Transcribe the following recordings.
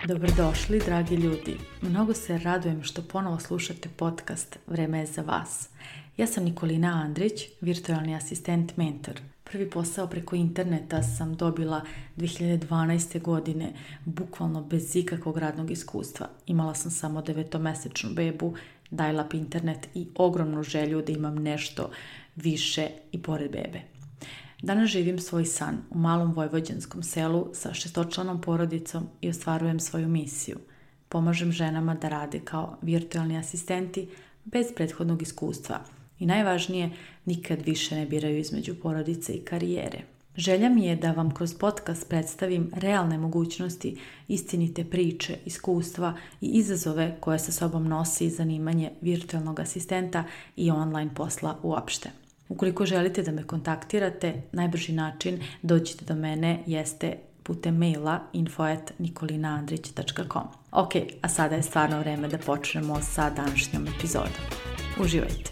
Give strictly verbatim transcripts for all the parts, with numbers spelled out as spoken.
Dobrodošli, dragi ljudi. Mnogo se radujem što ponovo slušate podcast Vreme je za vas. Ja sam Nikolina Andrić, virtualni asistent mentor. Prvi posao preko interneta sam dobila dve hiljade dvanaeste. godine, bukvalno bez ikakvog radnog iskustva. Imala sam samo devetomesečnu bebu, dial-up internet i ogromnu želju da imam nešto više i pored bebe. Danas živim svoj san u malom vojvođanskom selu sa šestočlanom porodicom i ostvarujem svoju misiju. Pomažem ženama da rade kao virtualni asistenti bez prethodnog iskustva i najvažnije, nikad više ne biraju između porodice i karijere. Želja mi je da vam kroz podcast predstavim realne mogućnosti, istinite priče, iskustva i izazove koje sa sobom nosi zanimanje virtualnog asistenta i online posla uopšte. Ukoliko želite da me kontaktirate, najbrži način dođite do mene jeste putem maila info at nikolinaandrić dot com. Ok, a sada je stvarno vreme da počnemo sa današnjom epizodom. Uživajte!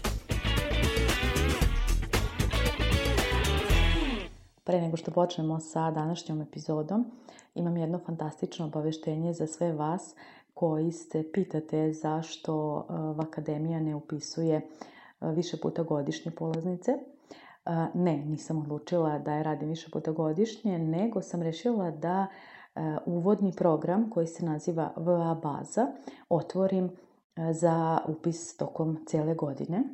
Pre nego što počnemo sa današnjom epizodom, imam jedno fantastično obaveštenje za sve vas koji se pitate zašto Vakademija ne upisuje više puta godišnje polaznice. Ne, nisam odlučila da je radim više puta godišnje, nego sam rešila da uvodni program koji se naziva V A baza otvorim za upis tokom cijele godine.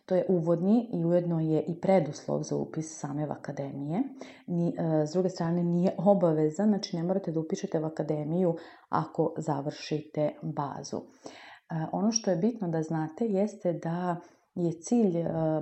To je uvodni i ujedno je i preduslov za upis same Vakademije. S druge strane nije obaveza, znači ne morate da upišete Vakademiju ako završite bazu. Ono što je bitno da znate jeste da je cilj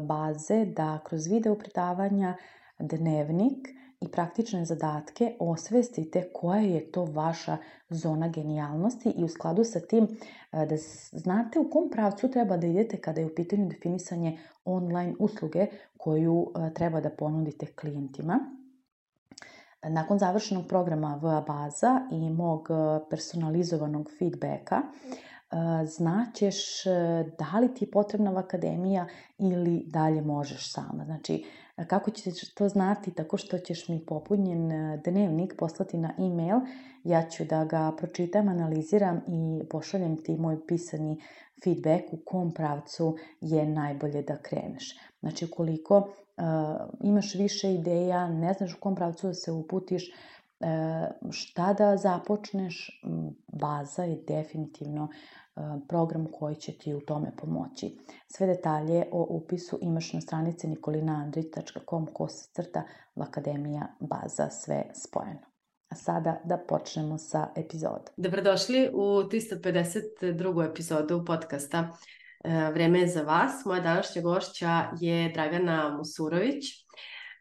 baze da kroz video predavanja, dnevnik i praktične zadatke osvestite koja je to vaša zona genijalnosti i u skladu sa tim da znate u kom pravcu treba da idete kada je u pitanju definisanje online usluge koju treba da ponudite klijentima. Nakon završenog programa V A baza i mog personalizovanog feedbacka, znaćeš da li ti je potrebna Vakademija ili dalje možeš sama. Znači, kako ćeš to znati? Tako što ćeš mi popunjen dnevnik poslati na e-mail, ja ću da ga pročitam, analiziram i pošaljem ti moj pisani feedback u kom pravcu je najbolje da kreneš. Znači, ukoliko uh, imaš više ideja, ne znaš u kom pravcu da se uputiš, šta da započneš, baza je definitivno program koji će ti u tome pomoći. Sve detalje o upisu imaš na stranici nikolinaandrić dot com kosacrta Vakademija baza, sve spojeno. A sada da počnemo sa epizodom. Dobrodošli u tristo pedeset drugu epizodu podcasta Vreme je za vas. Moja današnja gošća je Dragana Musurović.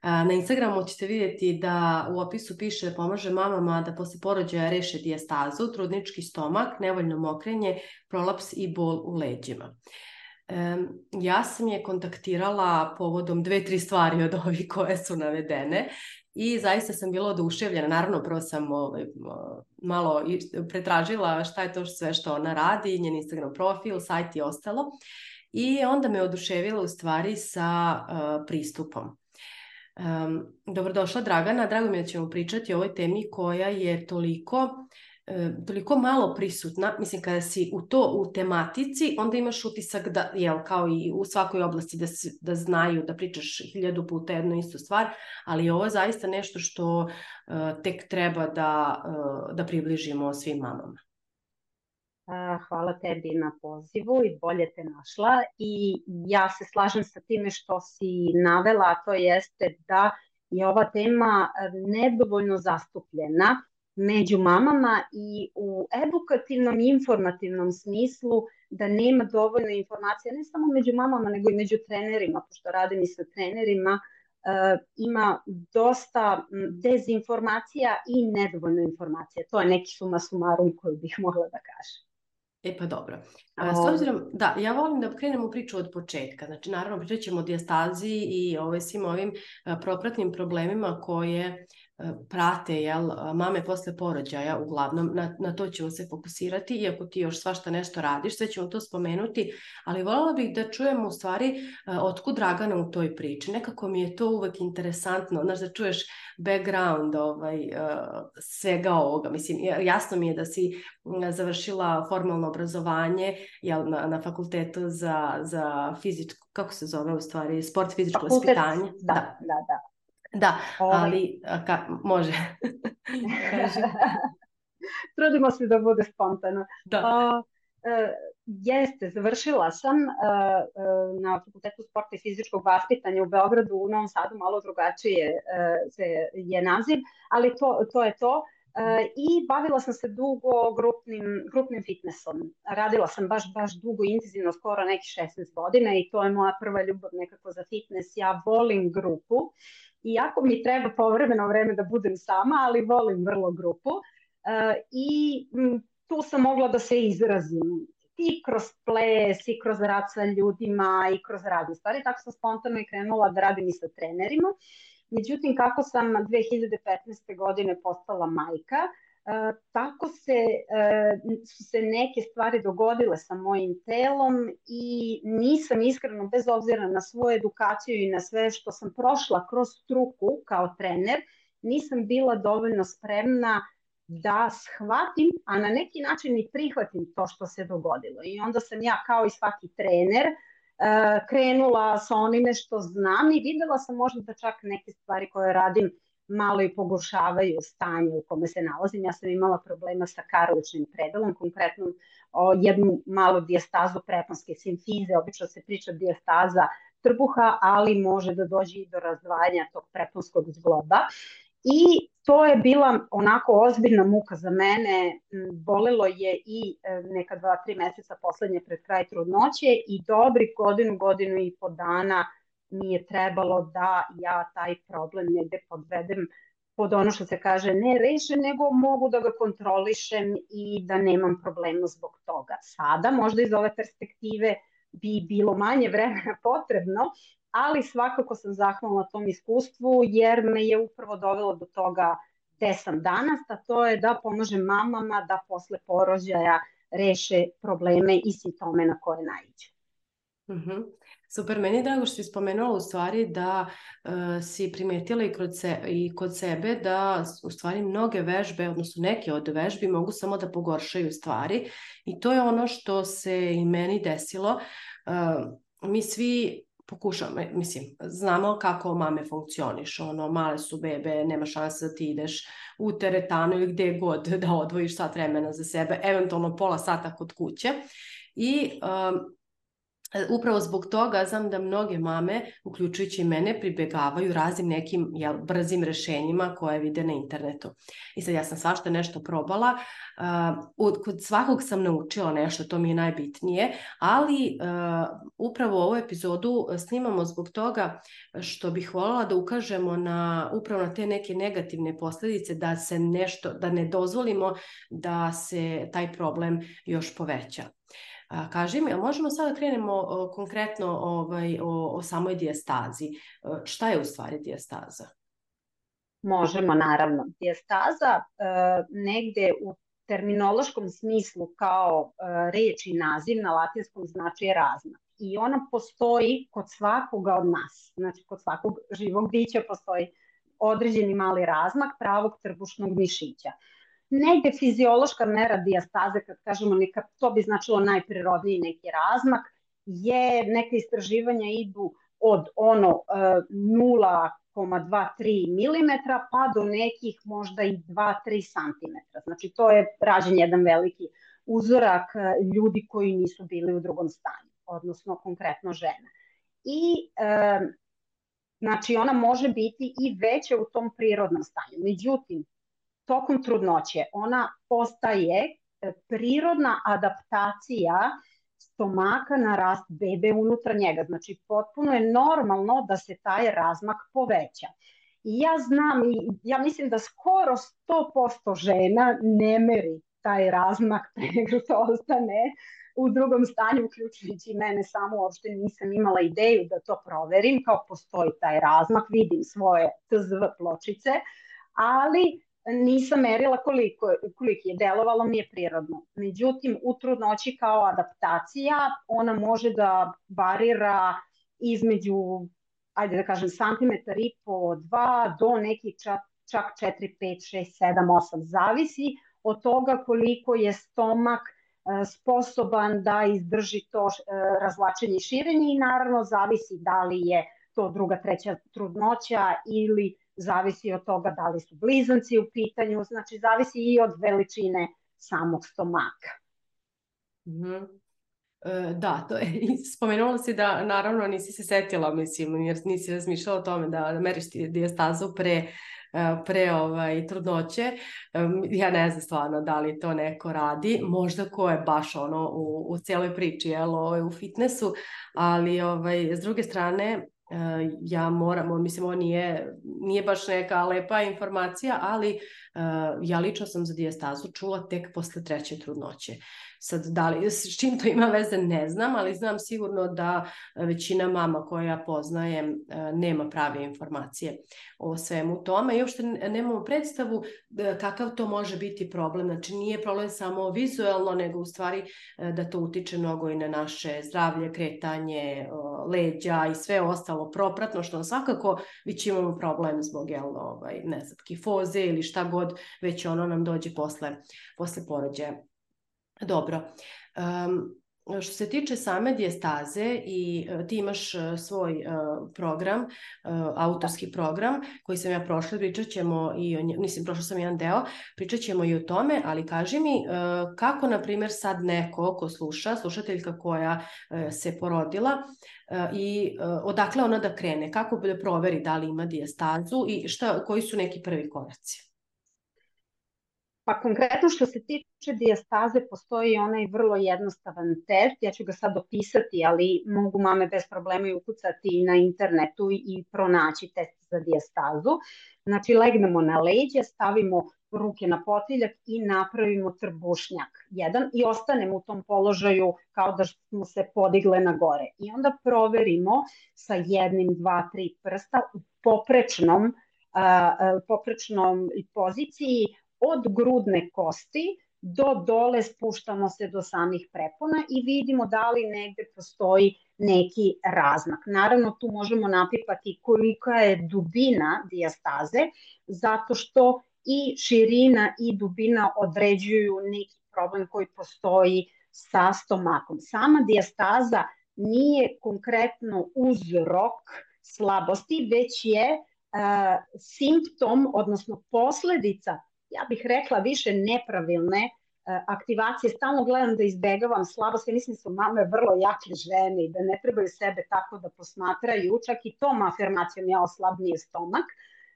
Na Instagramu ćete vidjeti da u opisu piše pomaže mamama da posle porođaja reše dijastazu, trudnički stomak, nevoljno mokrenje, prolaps i bol u leđima. Ja sam je kontaktirala povodom dve, tri stvari od ovih koje su navedene i zaista sam bila oduševljena. Naravno, prvo sam malo pretražila šta je to sve što ona radi, njen Instagram profil, sajt i ostalo. I onda me oduševila u stvari sa pristupom. Um, dobrodošla Dragana, drago mi je da ćemo pričati o ovoj temi koja je toliko, uh, toliko malo prisutna. Mislim, kada si u to u tematici, onda imaš utisak da, jel, kao i u svakoj oblasti da, da znaju, da pričaš hiljadu puta jednu istu stvar, ali ovo je zaista nešto što uh, tek treba da, uh, da približimo svim mamama. Hvala tebi na pozivu i bolje te našla i ja se slažem sa time što si navela, a to jeste da je ova tema nedovoljno zastupljena među mamama i u edukativnom i informativnom smislu da nema dovoljno informacija ne samo među mamama nego i među trenerima, pošto radim i sa trenerima, ima dosta dezinformacija i nedovoljno informacija. To je neki suma sumarum koju bih mogla da kažem. E pa dobro. A, S obzirom, da, ja volim da krenemo priču od početka. Znači, naravno, pričat ćemo o dijastazi i ovaj, svim ovim propratnim problemima koje prate, jel, mame posle porođaja, uglavnom, na, na to ćemo se fokusirati, iako ti još svašta nešto radiš, sve ćemo to spomenuti, ali voljela bih da čujemo u stvari otkud Dragana u toj priči. Nekako mi je to uvek interesantno, znaš, da čuješ background ovaj, svega ovoga. Mislim, jasno mi je da si završila formalno obrazovanje, jel, na, na fakultetu za, za fizičko, kako se zove u stvari, sport, fizičko vaspitanje. Da, da, da. da. Da, ali ka, može. Trudimo se da bude spontano. Da. Uh, uh, jeste, završila sam uh, uh, na Fakultetu sporta i fizičkog vaspitanja u Beogradu, u Novom Sadu malo drugačije uh, se je naziv, ali to, to je to. Uh, I bavila sam se dugo grupnim, grupnim fitnessom. Radila sam baš, baš dugo, intenzivno, skoro nekih šesnaest godina i to je moja prva ljubav nekako za fitness. Ja volim grupu. Iako mi treba povremeno vreme da budem sama, ali volim vrlo grupu uh, i m, tu sam mogla da se izrazim i kroz ples, i kroz rad sa ljudima, i kroz razne stvari. Tako sam spontano i krenula da radim i sa trenerima. Međutim, kako sam dve hiljade petnaeste. godine postala majka, Uh, tako se, uh, su se neke stvari dogodile sa mojim telom i nisam iskreno, bez obzira na svoju edukaciju i na sve što sam prošla kroz struku kao trener, nisam bila dovoljno spremna da shvatim, a na neki način i prihvatim to što se dogodilo. I onda sam ja kao i svaki trener uh, krenula sa onime što znam i videla sam možda da čak neke stvari koje radim malo i pogoršavaju stanje u kome se nalazim. Ja sam imala problema sa karličnim predalom, konkretno o, jednu malu dijastazu preponske simfize, obično se priča dijastaza trbuha, ali može da dođe i do razdvajanja tog preponskog zgloba. I to je bila onako ozbiljna muka za mene, bolelo je i neka dva, tri meseca poslednje pred kraj trudnoće i dobri godinu, godinu i po dana mi je trebalo da ja taj problem negde podvedem pod ono što se kaže ne rešen, nego mogu da ga kontrolišem i da nemam problema zbog toga. Sada možda iz ove perspektive bi bilo manje vremena potrebno, ali svakako sam zahvalna tom iskustvu jer me je upravo dovelo do toga gde sam danas, a to je da pomažem mamama da posle porođaja reše probleme i simptome na koje naiđu. Mm-hmm. Super, meni je drago što si spomenula u stvari da uh, si primetila i kod, se, i kod sebe da u stvari mnoge vežbe, odnosno neke od vežbi mogu samo da pogoršaju stvari i to je ono što se i meni desilo. Uh, mi svi pokušamo, mislim, znamo kako mame funkcionišu, ono, male su bebe, nema šanse da ti ideš u teretanu ili gde god da odvojiš sat vremena za sebe, eventualno pola sata kod kuće i um, upravo zbog toga znam da mnoge mame, uključujući i mene, pribegavaju raznim nekim jel, brzim rešenjima koje vide na internetu. I sad ja sam svašta nešto probala, uh, kod svakog sam naučila nešto, to mi je najbitnije, ali uh, upravo ovu epizodu snimamo zbog toga što bih voljela da ukažemo na, upravo na te neke negativne posljedice, da se nešto, da ne dozvolimo da se taj problem još poveća. A, kaži mi, a možemo sada krenemo o, konkretno ovaj, o, o samoj dijastazi. Šta je u stvari dijastaza? Možemo, naravno. Dijastaza e, negde u terminološkom smislu kao e, reč i naziv na latinskom znači je razmak. I ona postoji kod svakoga od nas. Znači, kod svakog živog bića postoji određeni mali razmak pravog trbušnog mišića. Negde fiziološka mera dijastaze, kad kažemo neka, to bi značilo najprirodniji neki razmak, je neka istraživanja idu od ono nula zarez dvadeset tri milimetra pa do nekih možda i dva do tri santimetra. Znači to je rađen jedan veliki uzorak ljudi koji nisu bili u drugom stanju, odnosno konkretno žena. I e, znači ona može biti i veća u tom prirodnom stanju. Međutim, tokom trudnoće ona postaje prirodna adaptacija stomaka na rast bebe unutar njega. Znači, potpuno je normalno da se taj razmak poveća. I ja znam, i ja mislim da skoro sto posto žena ne meri taj razmak pre nego što ostane u drugom stanju, uključujući mene samo, uopšte nisam imala ideju da to proverim, kao postoji taj razmak, vidim svoje T Z V pločice, ali nisam merila koliko, koliko je, delovalo mi je prirodno. Međutim, u trudnoći kao adaptacija, ona može da varira između, ajde da kažem, santimetar i po, dva, do nekih čak, čak četiri, pet, šest, sedam, osam, zavisi od toga koliko je stomak sposoban da izdrži to razvlačenje i širenje i naravno zavisi da li je to druga, treća trudnoća ili zavisi od toga da li su blizanci u pitanju, znači zavisi i od veličine samog stomaka. Mm-hmm. E, da, to je, spomenula si da naravno nisi se setila, mislim, jer nisi razmišljala o tome da meriš dijastazu pre pre ovaj, trudnoće. Ja ne znam stvarno da li to neko radi, možda ko je baš ono u, u cijeloj priči, jel, ovaj, u fitnessu, ali ovaj, s druge strane ja moram, mislim, ovo nije, nije baš neka lepa informacija, ali ja lično sam za dijastazu čula tek posle treće trudnoće. Sad, da li, s čim to ima veze, ne znam, ali znam sigurno da većina mama koja ja poznajem nema prave informacije o svemu tome i uopšte nemamo predstavu kakav to može biti problem. Znači, nije problem samo vizuelno, nego u stvari da to utiče mnogo i na naše zdravlje, kretanje, leđa i sve ostalo propratno, što svakako već imamo problem zbog, jel, ovaj, ne znam, kifoze ili šta god, već ono nam dođe posle, posle porođaja. Dobro, um, što se tiče same dijastaze i uh, ti imaš uh, svoj uh, program, uh, autorski program koji sam ja prošla, pričat ćemo i o nje, mislim, prošla sam jedan deo, pričat ćemo i o tome, ali kaži mi uh, kako, na primjer, sad neko ko sluša, slušateljka koja uh, se porodila uh, i uh, odakle ona da krene, kako da proveri da li ima dijastazu i šta, koji su neki prvi koraci? Pa konkretno što se tiče dijastaze, postoji onaj vrlo jednostavan test, ja ću ga sad opisati, ali mogu mame bez problema i ukucati na internetu i pronaći test za dijastazu. Znači, legnemo na leđe, stavimo ruke na potiljak i napravimo trbušnjak jedan i ostanemo u tom položaju kao da smo se podigle na gore. I onda proverimo sa jednim, dva, tri prsta u poprečnom, uh, poprečnom poziciji od grudne kosti do dole, spuštamo se do samih prepona i vidimo da li negde postoji neki razmak. Naravno, tu možemo napipati kolika je dubina dijastaze, zato što i širina i dubina određuju neki problem koji postoji sa stomakom. Sama dijastaza nije konkretno uzrok slabosti, već je uh, simptom, odnosno posledica, ja bih rekla više nepravilne uh, aktivacije. Stalno gledam da izbegavam slabost, ja mislim da su mame vrlo jake žene i da ne trebaju sebe tako da posmatraju, čak i tom afirmacijom ja oslabnije stomak,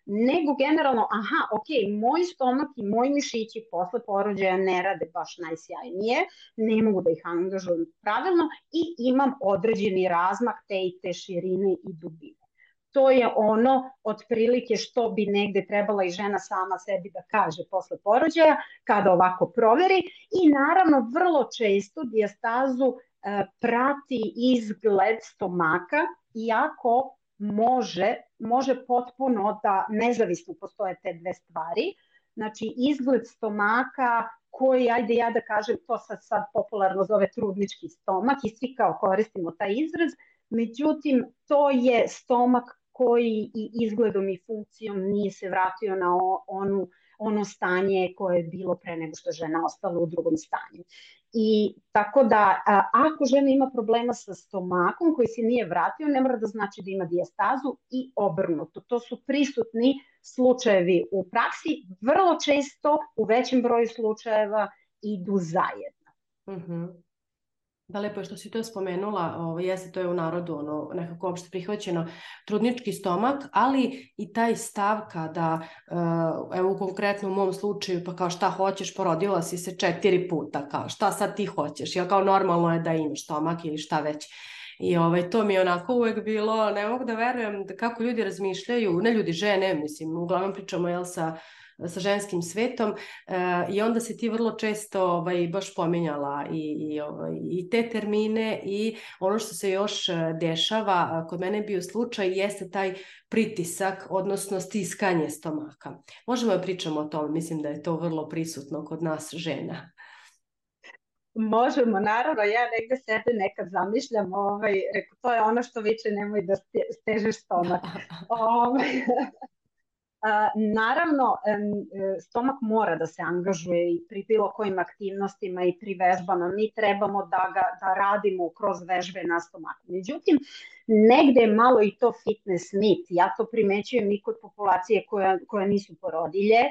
nego generalno, aha, ok, moj stomak i moji mišići posle porođaja ne rade baš najsjajnije, ne mogu da ih angažujem pravilno i imam određeni razmak te i te širine i dubine. To je ono otprilike što bi negde trebala i žena sama sebi da kaže posle porođaja kada ovako proveri i naravno vrlo često dijastazu e, prati izgled stomaka, iako može, može potpuno da nezavisno postoje te dve stvari. Znači izgled stomaka koji, ajde ja da kažem, to sad, sad popularno zove trudnički stomak i svi kao koristimo taj izraz, međutim to je stomak koji i izgledom i funkcijom nije se vratio na onu, ono stanje koje je bilo pre nego što žena ostala u drugom stanju. I tako da a, ako žena ima problema sa stomakom koji se nije vratio, ne mora da znači da ima dijastazu i obrnuto. To su prisutni slučajevi u praksi, vrlo često u većem broju slučajeva idu zajedno. Mm-hmm. Da, lepo je što si to spomenula, ovo, jeste, to je u narodu ono, nekako opšte prihvaćeno, trudnički stomak, ali i taj stav kada, uh, evo konkretno u mom slučaju, pa kao šta hoćeš, porodila si se četiri puta, kao šta sad ti hoćeš, jel kao normalno je da imaš stomak ili šta već. I ovaj, to mi je onako uvek bilo, ne mogu da verujem da kako ljudi razmišljaju, ne ljudi, žene, mislim, uglavnom pričamo jel, sa sa ženskim svetom i onda si ti vrlo često ovaj, baš pominjala i, i, ovaj, i te termine i ono što se još dešava, kod mene je bio slučaj, jeste taj pritisak, odnosno stiskanje stomaka. Možemo da pričamo o tome, mislim da je to vrlo prisutno kod nas žena. Možemo, naravno, ja negde sebe nekad zamišljam, ovaj, reko, to je ono što viče nemoj da stežeš stomak. ovaj, a, naravno, stomak mora da se angažuje i pri bilo kojim aktivnostima i pri vežbama. Mi trebamo da ga da radimo kroz vežbe na stomaku. Međutim, negde je malo i to fitness mit. Ja to primećujem i kod populacije koja, koja nisu porodilje,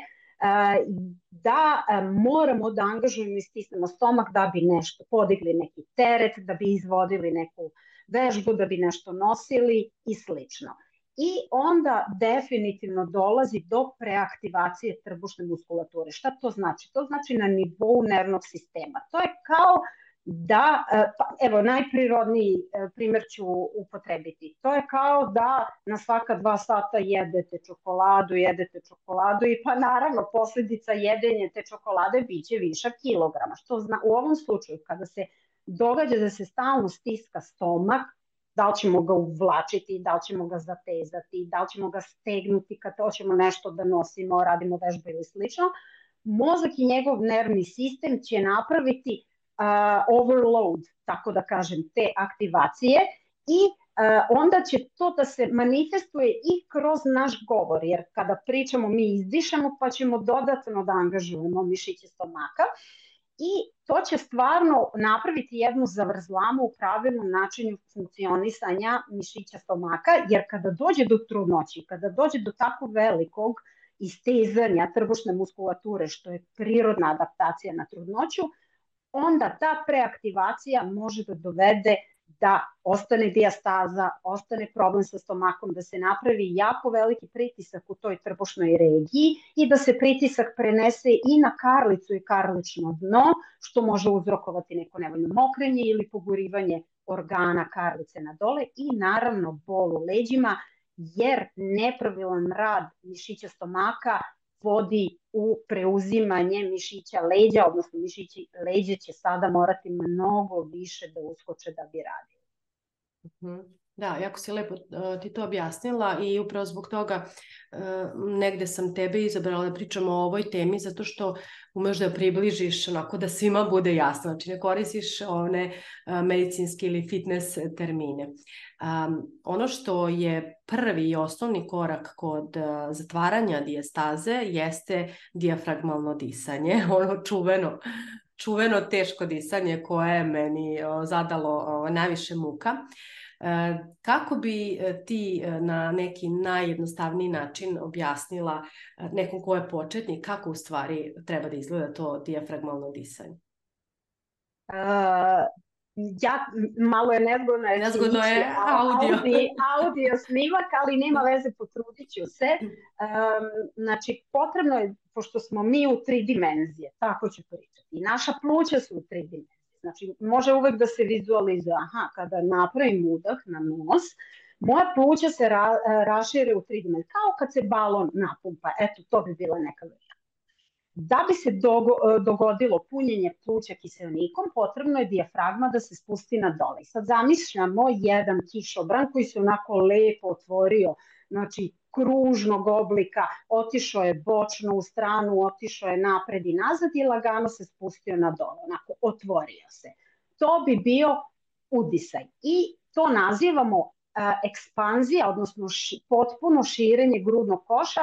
da moramo da angažujemo i stisnemo stomak da bi nešto podigli neki teret, da bi izvodili neku vežbu, da bi nešto nosili i slično. I onda definitivno dolazi do preaktivacije trbušne muskulature. Šta to znači? To znači na nivou nervnog sistema. To je kao da, pa, evo najprirodniji primjer ću upotrebiti. To je kao da na svaka dva sata jedete čokoladu, jedete čokoladu i pa naravno posljedica jedenja te čokolade biće višak kilograma. Što zna, u ovom slučaju kada se događa da se stalno stiska stomak, da li ćemo ga uvlačiti, da li ćemo ga zatezati, da li ćemo ga stegnuti kad hoćemo nešto da nosimo, radimo vežbu ili slično, mozak i njegov nervni sistem će napraviti Uh, overload, tako da kažem, te aktivacije i uh, onda će to da se manifestuje i kroz naš govor, jer kada pričamo mi izdišemo pa ćemo dodatno da angažujemo mišiće stomaka i to će stvarno napraviti jednu zavrzlamu u pravilnom načinu funkcionisanja mišića stomaka, jer kada dođe do trudnoći, kada dođe do tako velikog istezanja trbušne muskulature, što je prirodna adaptacija na trudnoću, onda ta preaktivacija može da dovede da ostane dijastaza, ostane problem sa stomakom, da se napravi jako veliki pritisak u toj trbušnoj regiji i da se pritisak prenese i na karlicu i karlično dno, što može uzrokovati neko nevoljno mokrenje ili pogurivanje organa karlice na dole i naravno bol u leđima, jer nepravilan rad mišića stomaka vodi u preuzimanje mišića leđa, odnosno mišići leđa će sada morati mnogo više da uskoče da bi radili. Mm-hmm. Da, jako si lepo uh, ti to objasnila i upravo zbog toga uh, negde sam tebe izabrala da pričamo o ovoj temi zato što umeš da približiš onako da svima bude jasno, znači ne koristiš one uh, medicinske ili fitness termine. Um, ono što je prvi i osnovni korak kod uh, zatvaranja dijastaze jeste dijafragmalno disanje, ono čuveno, čuveno teško disanje koje je meni uh, zadalo uh, najviše muka. Kako bi ti na neki najjednostavniji način objasnila nekom ko je početnik kako u stvari treba da izgleda to dijafragmalno disanje? Uh, ja, malo je nezgodno, nezgodno je audio. audio, audio snimak, ali nema veze, potrudit ću se. Um, znači, potrebno je, pošto smo mi u tri dimenzije, tako ću pričati, naša pluća su u tri dimenzije. Znači, može uvek da se vizualizuje, aha, kada napravim udah na nos, moja pluća se ra, rašire u tri dimenzije, kao kad se balon napumpa, eto, to bi bila neka varijanta. Da bi se dogo, dogodilo punjenje pluća kiseonikom, potrebno je dijafragma da se spusti na dole. Sad zamišljamo jedan kišobran koji se onako lepo otvorio, znači kružnog oblika, otišao je bočno u stranu, otišao je napred i nazad i lagano se spustio na dole, onako otvorio se. To bi bio udisaj i to nazivamo uh, ekspanzija, odnosno ši, potpuno širenje grudnog koša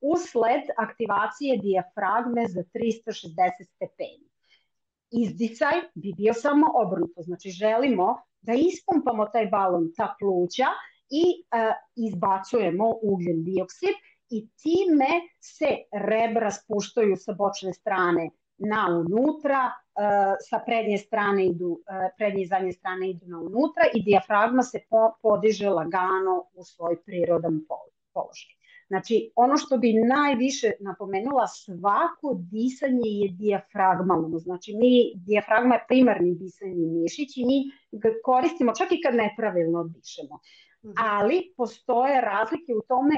usled aktivacije dijafragme za trista šezdeset stepeni. Izdisaj bi bio samo obrnuto, znači želimo da ispumpamo taj balon, ta pluća, i uh, izbacujemo ugljen dioksid i time se rebra spuštaju sa bočne strane na unutra, uh, sa prednje strane idu, uh, prednje i zadnje strane idu na unutra i dijafragma se po, podiže lagano u svoj prirodan položaj. Znači, ono što bi najviše napomenula, svako disanje je dijafragmalno. Znači, mi, dijafragma je primarni disajni mišić i mi ga koristimo čak i kad nepravilno dišemo. Ali postoje razlike u tome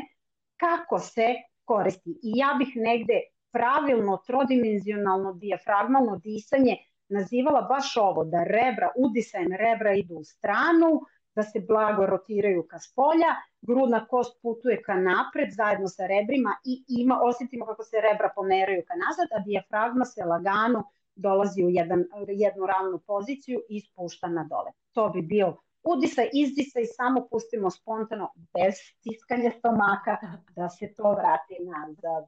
kako se koristi. I ja bih negde pravilno trodimenzionalno dijafragmalno disanje nazivala baš ovo, da rebra, udisajem rebra idu u stranu, da se blago rotiraju ka spolja, grudna kost putuje ka napred zajedno sa rebrima i ima, osjetimo kako se rebra pomeraju ka nazad, a dijafragma se lagano dolazi u jedan, jednu ravnu poziciju i spušta na dole. To bi bio udisaj, izdisaj, samo pustimo spontano, bez stiskanja stomaka, da se to vrati nazad.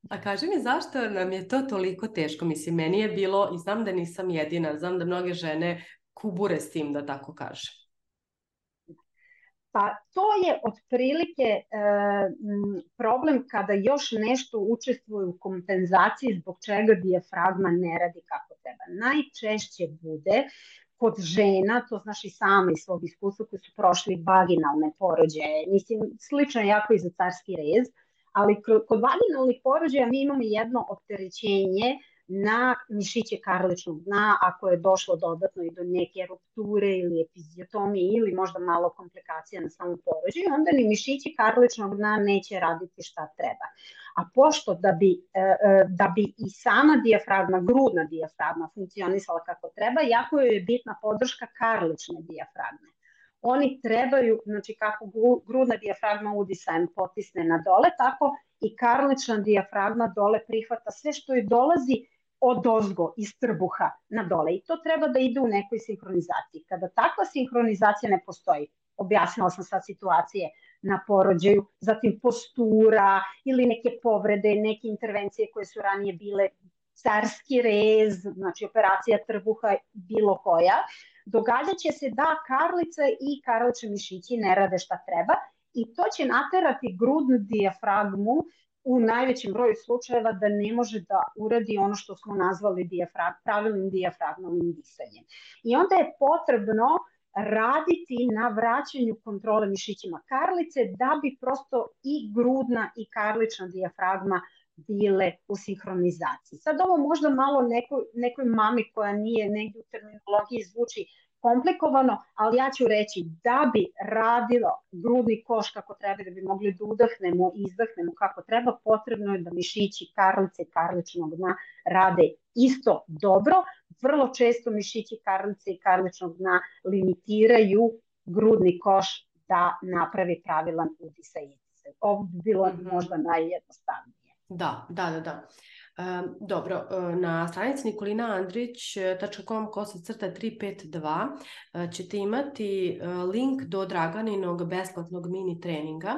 A kaži mi, zašto nam je to toliko teško? Mislim, meni je bilo, i znam da nisam jedina, znam da mnoge žene kubure s tim, da tako kažem. Pa to je otprilike e, problem kada još nešto učestvuje u kompenzaciji zbog čega dijafragma ne radi kako treba. Najčešće bude kod žena, to znaš i sama iz svog iskustva koji su prošli vaginalne porođaje, mislim slično jako i za carski rez, ali kod vaginalnih porođaja mi imamo jedno opterećenje na mišiće karličnog dna, ako je došlo dodatno i do neke rupture ili epiziotomije ili možda malo komplikacija na samom porođaju, onda ni mišići karličnog dna neće raditi šta treba. A pošto da bi, da bi i sama dijafragma, grudna dijafragma funkcionisala kako treba, jako je bitna podrška karlične dijafragme. Oni trebaju, znači kako grudna dijafragma udisajem potisne na dole, tako i karlična dijafragma dole prihvata sve što je dolazi od ozgo, iz trbuha na dole. I to treba da ide u nekoj sinhronizaciji. Kada takva sinhronizacija ne postoji, objasnila sam sad situacije na porođaju, zatim postura ili neke povrede, neke intervencije koje su ranije bile, carski rez, znači operacija trbuha, bilo koja, događat će se da karlica i karlični mišići ne rade šta treba i to će naterati grudnu dijafragmu u najvećem broju slučajeva da ne može da uradi ono što smo nazvali dijafrag, pravilnim dijafragmalnim disanjem. I onda je potrebno raditi na vraćanju kontrole mišićima karlice da bi prosto i grudna i karlična dijafragma bile u sinhronizaciji. Sad ovo možda malo nekoj, nekoj mami koja nije negdje u terminologiji zvuči komplikovano, ali ja ću reći da bi radilo grudni koš kako treba, da bi mogli da udahnemo i izdahnemo kako treba, potrebno je da mišići karlice i karličnog dna rade isto dobro. Vrlo često mišići karlice i karličnog dna limitiraju grudni koš da napravi pravilan udisaj i izdisaj. Ovo bi bilo mm-hmm. možda najjednostavnije. Da, da, da, da. Um, dobro, na stranici nikolina andrić tačka com kosa crta tri pet dva ćete imati link do Draganinog besplatnog mini treninga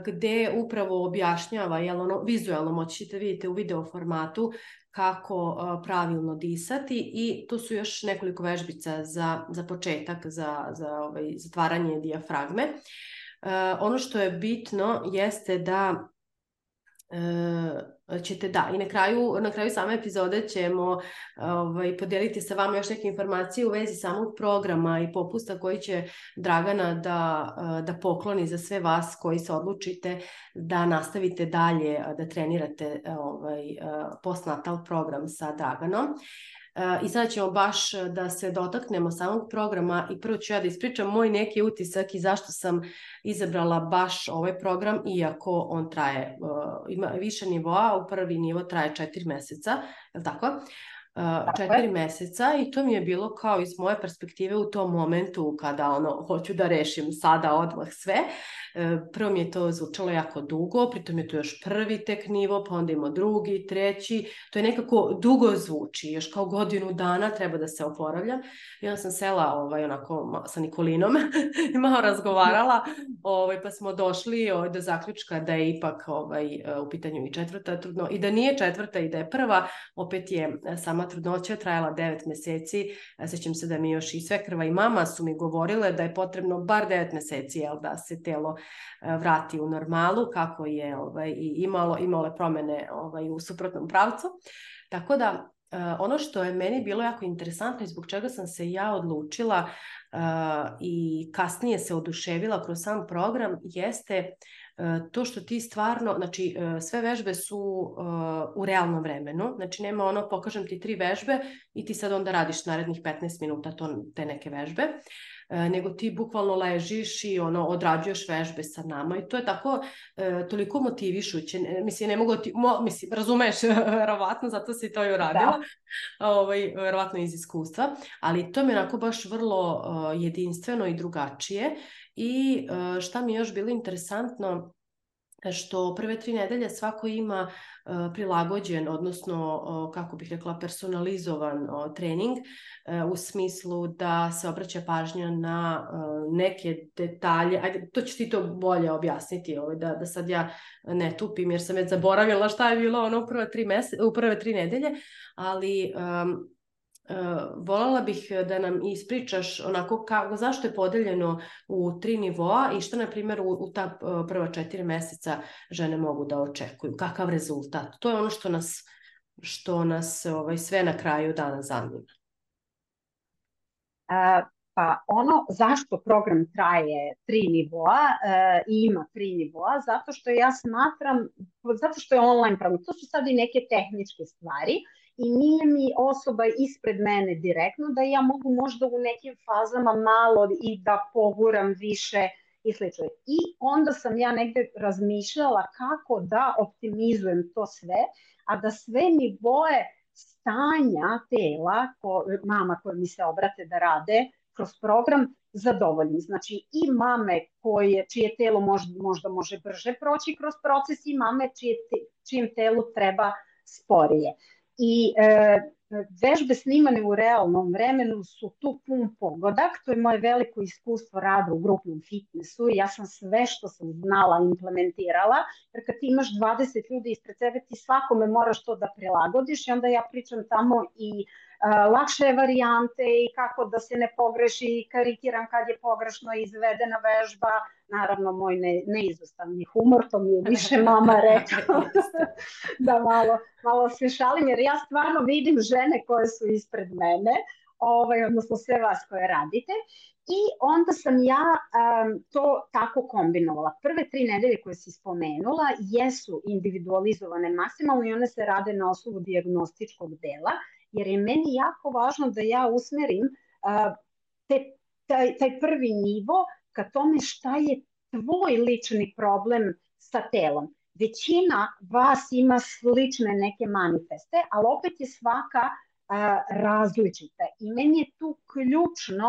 gde upravo objašnjava, jel ono, vizualno moćete vidite u video formatu kako pravilno disati i tu su još nekoliko vežbica za, za početak, za, za ovaj, zatvaranje dijafragme. Uh, ono što je bitno jeste da Uh, ćete da i na kraju, na kraju same epizode ćemo ovaj, podijeliti sa vama još neke informacije u vezi samog programa i popusta koji će Dragana da, da pokloni za sve vas koji se odlučite da nastavite dalje da trenirate ovaj, postnatal program sa Draganom. I sada ćemo baš da se dotaknemo samog programa i prvo ću ja da ispričam moj neki utisak i zašto sam izabrala baš ovaj program, iako on traje, ima više nivoa, u prvi nivo traje četiri meseca, je li tako? četiri meseca i to mi je bilo kao iz moje perspektive u tom momentu kada ono, hoću da rešim sada odmah sve. Prvo mi je to zvučalo jako dugo, pritom je to još prvi tek nivo, pa onda ima drugi, treći, to je nekako dugo zvuči, još kao godinu dana treba da se oporavljam. I onda sam sela ovaj, onako sa Nikolinom i malo razgovarala, ovaj, pa smo došli ovaj, do zaključka da je ipak ovaj, u pitanju i četvrta trudno, i da nije četvrta i da je prva, opet je sama trudnoća trajala devet meseci, sećam se da mi još i svekrva i mama su mi govorile da je potrebno bar devet meseci jel, da se telo vrati u normalu, kako je ovaj, i imalo, imalo promene ovaj, u suprotnom pravcu. Tako da ono što je meni bilo jako interesantno i zbog čega sam se ja odlučila uh, i kasnije se oduševila kroz sam program jeste uh, to što ti stvarno, znači uh, sve vežbe su uh, u realnom vremenu, znači nema ono pokažem ti tri vežbe i ti sad onda radiš narednih petnaest minuta to, te neke vežbe. nego ti bukvalno ležiš i ono, odrađuješ vežbe sa nama i to je tako e, toliko motivišuće. Mislim, ne mogu ti, mo, mislim, razumeš, verovatno, zato si to i uradila, da. Ovaj, verovatno iz iskustva, ali to mi je onako baš vrlo uh, jedinstveno i drugačije i uh, šta mi je još bilo interesantno, što prve tri nedelje svako ima uh, prilagođen, odnosno, uh, kako bih rekla, personalizovan uh, trening uh, u smislu da se obraća pažnja na uh, neke detalje. Ajde, to ćeš ti to bolje objasniti, ovaj, da, da sad ja ne tupim jer sam već zaboravila šta je bilo ono u prve tri, mese, u prve tri nedelje, ali... Um, Uh, voljela bih da nam ispričaš onako kako, zašto je podeljeno u tri nivoa i što, na primjer, u, u ta uh, prva četiri meseca žene mogu da očekuju, kakav rezultat. To je ono što nas, što nas ovaj, sve na kraju dana zanima. Uh, pa ono zašto program traje tri nivoa uh, i ima tri nivoa, zato što ja smatram, zato što je online program, to su sad i neke tehničke stvari, i nije mi osoba ispred mene direktno da ja mogu možda u nekim fazama malo i da poguram više i slično. I onda sam ja negde razmišljala kako da optimizujem to sve, a da sve nivoe stanja tela, ko, mama koje mi se obrate da rade kroz program, zadovoljim. Znači i mame koje, čije telo možda, možda može brže proći kroz proces i mame čije te, čijem telu treba sporije. I e, vežbe snimane u realnom vremenu su tu pun pogodak, to je moje veliko iskustvo rada u grupnom fitnessu i ja sam sve što sam znala implementirala, jer kad ti imaš dvadeset ljudi ispred sebe ti svakome moraš to da prilagodiš i onda ja pričam tamo i uh, lakše varijante i kako da se ne pogreši i karikiram kad je pogrešno izvedena vežba, naravno moj ne, neizostavni humor, to mi je više mama rekla da malo, malo se šalim, jer ja stvarno vidim žene koje su ispred mene, ovaj, odnosno sve vas koje radite. I onda sam ja um, to tako kombinovala. Prve tri nedelje koje si spomenula jesu individualizovane maksimalno i one se rade na osnovu dijagnostičkog dela, jer je meni jako važno da ja usmerim uh, te, taj, taj prvi nivo ka tome šta je tvoj lični problem sa telom. Većina vas ima slične neke manifeste, ali opet je svaka uh, različita. I meni je tu ključno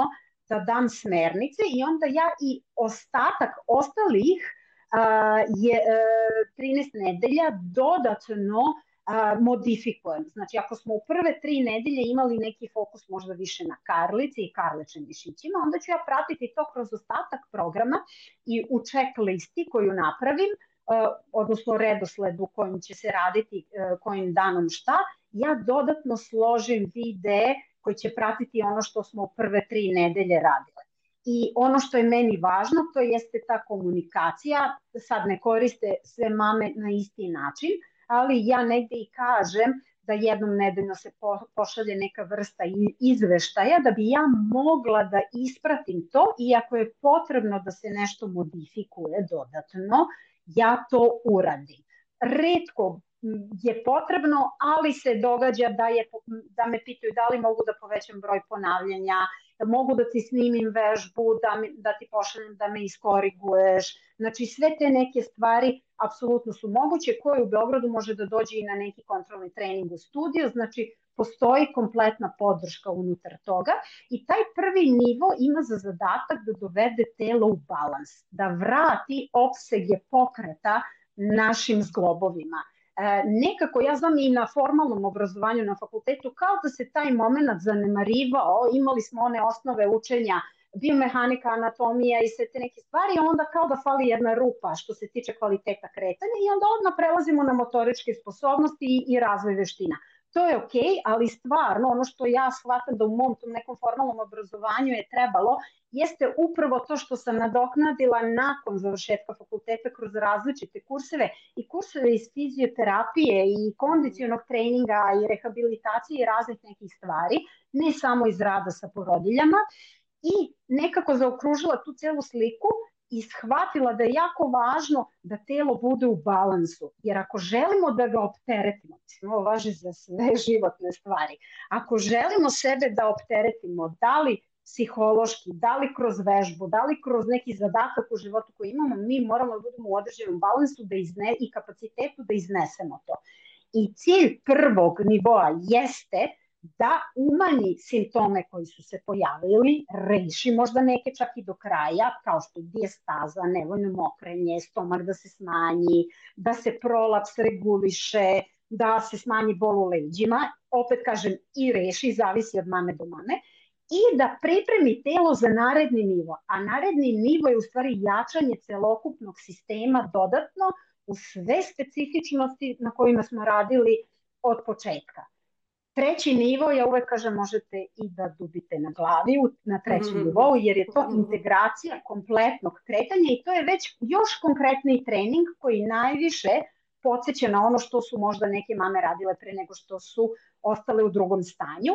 da dam smernice i onda ja i ostatak ostalih uh, je uh, trinaest nedelja dodatno uh, modifikujem. Znači ako smo u prve tri nedelje imali neki fokus možda više na karlici i karličnim mišićima, onda ću ja pratiti to kroz ostatak programa i u checklisti koju napravim, uh, odnosno redosledu kojim će se raditi uh, kojim danom šta, ja dodatno složim videe koji će pratiti ono što smo u prve tri nedelje radile. I ono što je meni važno, to jeste ta komunikacija. Sad ne koriste sve mame na isti način, ali ja negde i kažem da jednom nedeljno se pošalje neka vrsta izveštaja da bi ja mogla da ispratim to i ako je potrebno da se nešto modifikuje dodatno, ja to uradim. Retko je potrebno, ali se događa da, je, da me pitaju da li mogu da povećam broj ponavljanja, da mogu da ti snimim vežbu, da, mi, da ti pošaljem da me iskoriguješ. Znači sve te neke stvari apsolutno su moguće, koje u Beogradu može da dođe i na neki kontrolni trening u studiju, znači postoji kompletna podrška unutar toga i taj prvi nivo ima za zadatak da dovede telo u balans, da vrati opsege pokreta našim zglobovima. E, nekako, ja znam i na formalnom obrazovanju na fakultetu, kao da se taj moment zanemarivao, imali smo one osnove učenja, biomehanika, anatomija i sve te neke stvari, onda kao da fali jedna rupa što se tiče kvaliteta kretanja i onda odmah prelazimo na motoričke sposobnosti i, i razvoj veština. To je okej, ali stvarno ono što ja shvatam da u mom tom nekom formalnom obrazovanju je trebalo, jeste upravo to što sam nadoknadila nakon završetka fakulteta kroz različite kurseve i kurseve iz fizioterapije i kondicionog treninga i rehabilitacije i raznih nekih stvari, ne samo iz rada sa porodiljama, i nekako zaokružila tu celu sliku i shvatila da je jako važno da telo bude u balansu. Jer ako želimo da ga opteretimo, ovo važi za sve životne stvari, ako želimo sebe da opteretimo, da li psihološki, da li kroz vežbu, da li kroz neki zadatak u životu koji imamo, mi moramo da budemo u određenom balansu da izne, i kapacitetu da iznesemo to. I cilj prvog nivoa jeste da umanji simptome koji su se pojavili, reši možda neke čak i do kraja, kao što je dijestaza, nevoljno mokrenje, stomak da se smanji, da se prolaps reguliše, da se smanji bol u leđima, opet kažem i reši, zavisi od mame do mame, i da pripremi telo za naredni nivo. A naredni nivo je u stvari jačanje celokupnog sistema dodatno u sve specifičnosti na kojima smo radili od početka. Treći nivo, ja uvek kažem, možete i da dubite na glavi na trećem nivou, jer je to integracija kompletnog kretanja i to je već još konkretniji trening koji najviše podsjeća na ono što su možda neke mame radile pre nego što su ostale u drugom stanju,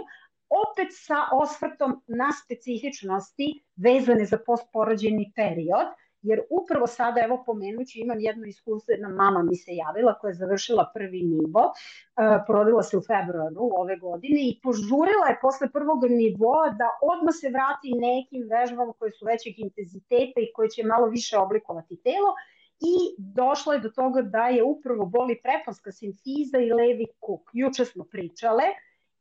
opet sa osvrtom na specifičnosti vezane za postporođajni period, jer upravo sada, evo pomenući, imam jedno iskustvo, jedna mama mi se javila koja je završila prvi nivo, porodila se u februaru ove godine i požurila je posle prvog nivoa da odmah se vrati nekim vežbama koje su većeg intenziteta i koje će malo više oblikovati telo, i došla je do toga da je upravo boli preponska simfiza i levi kuk. Juče smo pričale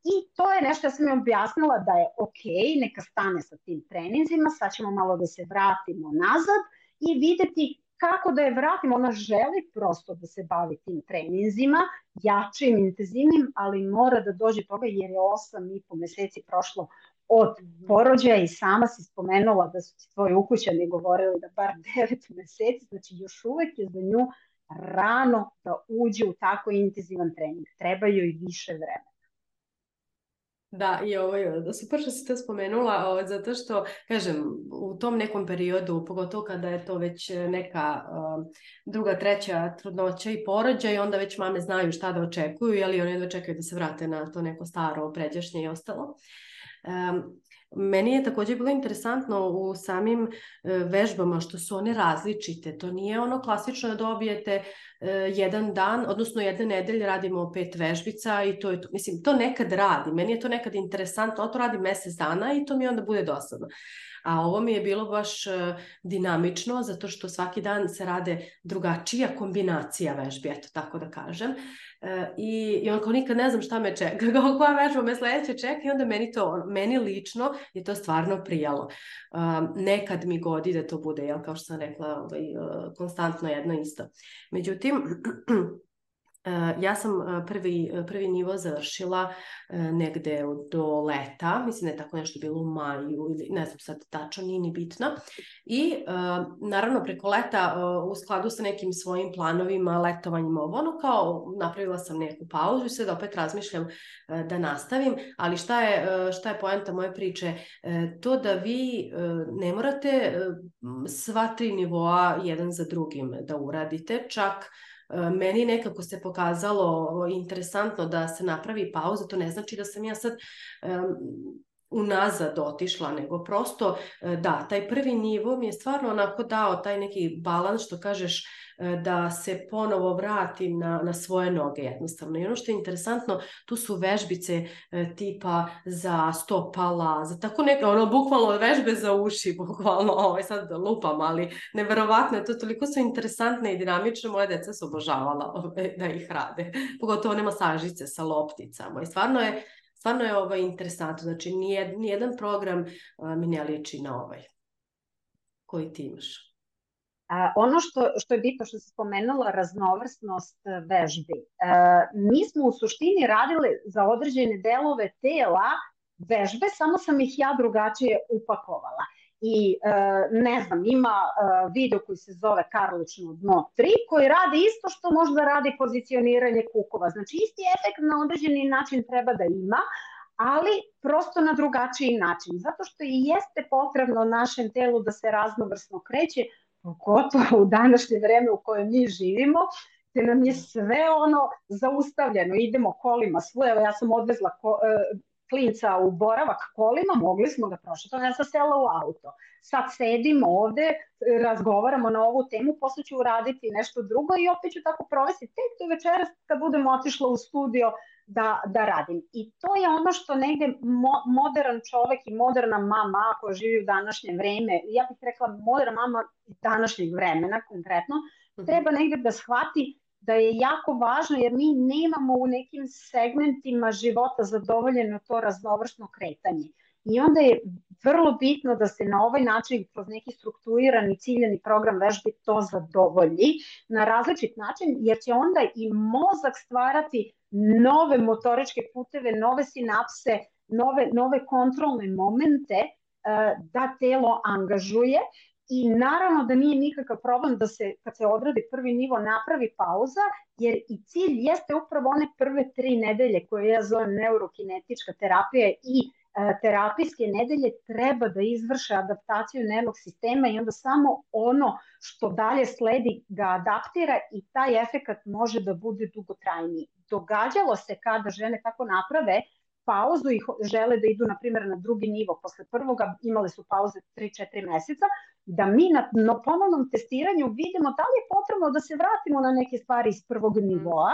i to je nešto, ja sam joj objasnila da je ok, neka stane sa tim treninzima, sad ćemo malo da se vratimo nazad i videti kako da je vratimo. Ona želi prosto da se bavi tim treninzima, jačim, intenzivnim, ali mora da dođe toga jer je osam i po meseci prošlo od porođaja i sama si spomenula da su tvoji ukućani govorili da bar devet meseci, znači još uvek je za nju rano da uđe u tako intenzivan trening. Treba joj više vremena. Da, i ovo je super što si to spomenula, o, zato što, kažem, u tom nekom periodu, pogotovo kada je to već neka uh, druga, treća trudnoća i porođaj, onda već mame znaju šta da očekuju, jeli one jedva čekaju da se vrate na to neko staro, pređašnje i ostalo. Um, Meni je također bilo interesantno u samim uh, vežbama što su one različite. To nije ono klasično da dobijete uh, jedan dan, odnosno jedne nedelje radimo pet vežbica i to je to. Mislim, to nekad radi. Meni je to nekad interesantno, to radi mjesec dana i to mi onda bude dosadno. A ovo mi je bilo baš uh, dinamično, zato što svaki dan se rade drugačija kombinacija vežbi, eto tako da kažem. Uh, i, i onako nikad ne znam šta me čeka, koja vežba me sledeće čeka i onda meni to, meni lično je to stvarno prijalo. Uh, nekad mi godi da to bude, jel, kao što sam rekla, ovaj, uh, konstantno jedno isto. Međutim, Uh, ja sam uh, prvi, uh, prvi nivo završila uh, negde do leta, mislim da je tako nešto bilo u maju ili ne znam sad tačno, nije ni bitno. I uh, naravno preko leta uh, u skladu sa nekim svojim planovima, letovanjima, ono kao napravila sam neku pauzu i sad opet razmišljam uh, da nastavim, ali šta je, uh, šta je poenta moje priče? Uh, to da vi uh, ne morate uh, sva tri nivoa jedan za drugim da uradite, čak meni nekako se pokazalo interesantno da se napravi pauza, to ne znači da sam ja sad um, unazad otišla, nego prosto da, taj prvi nivo mi je stvarno onako dao taj neki balans, što kažeš, da se ponovo vratim na, na svoje noge jednostavno. I ono što je interesantno, tu su vežbice tipa za stopala, za tako neke, ono, bukvalno vežbe za uši, bukvalno, ovo sad lupam, ali neverovatno je to, toliko su interesantne i dinamične, moje deca su obožavala da ih rade, pogotovo one masažice sa lopticama i stvarno je Stvarno je ovo interesantno, znači nijed, nijedan program uh, mi ne liči na ovaj koji ti imaš. A, ono što, što je bitno što se spomenula, raznovrsnost vežbi. A, mi smo u suštini radili za određene delove tela vežbe, samo sam ih ja drugačije upakovala. I e, ne znam, ima e, video koji se zove Karlično dno tri koji radi isto što možda radi pozicioniranje kukova. Znači isti efekt na određeni način treba da ima, ali prosto na drugačiji način. Zato što i jeste potrebno našem telu da se raznovrsno kreće, pogotovo u današnje vreme u kojem mi živimo, te nam je sve ono zaustavljeno. Idemo kolima svuda, evo ja sam odvezla ko, e, klinca u boravak kolima, mogli smo ga prošli, to ja sam sela u auto. Sad sedimo ovde, razgovaramo na ovu temu, posle ću uraditi nešto drugo i opet ću tako provesti tek do večeras kad budemo otišla u studio da, da radim. I to je ono što negde mo, modern čovek i moderna mama koja živi u današnje vreme, ja bih rekla moderna mama današnjeg vremena konkretno, treba negde da shvati da je jako važno, jer mi nemamo u nekim segmentima života zadovoljeno to raznovrsno kretanje. I onda je vrlo bitno da se na ovaj način kroz neki strukturirani ciljani program vežbi to zadovolji na različit način, jer će onda i mozak stvarati nove motoričke puteve, nove sinapse, nove, nove kontrolne momente da telo angažuje. I naravno da nije nikakav problem da se, kad se odradi prvi nivo, napravi pauza, jer i cilj jeste upravo one prve tri nedelje koje ja zovem neurokinetička terapija i terapijske nedelje treba da izvrše adaptaciju nervnog sistema i onda samo ono što dalje sledi ga adaptira i taj efekat može da bude dugotrajniji. Događalo se kada žene tako naprave pauzu i žele da idu, na primjer, na drugi nivo. Posle prvoga imale su pauze tri četiri meseca, da mi na, na ponovnom testiranju vidimo da li je potrebno da se vratimo na neke stvari iz prvog nivoa.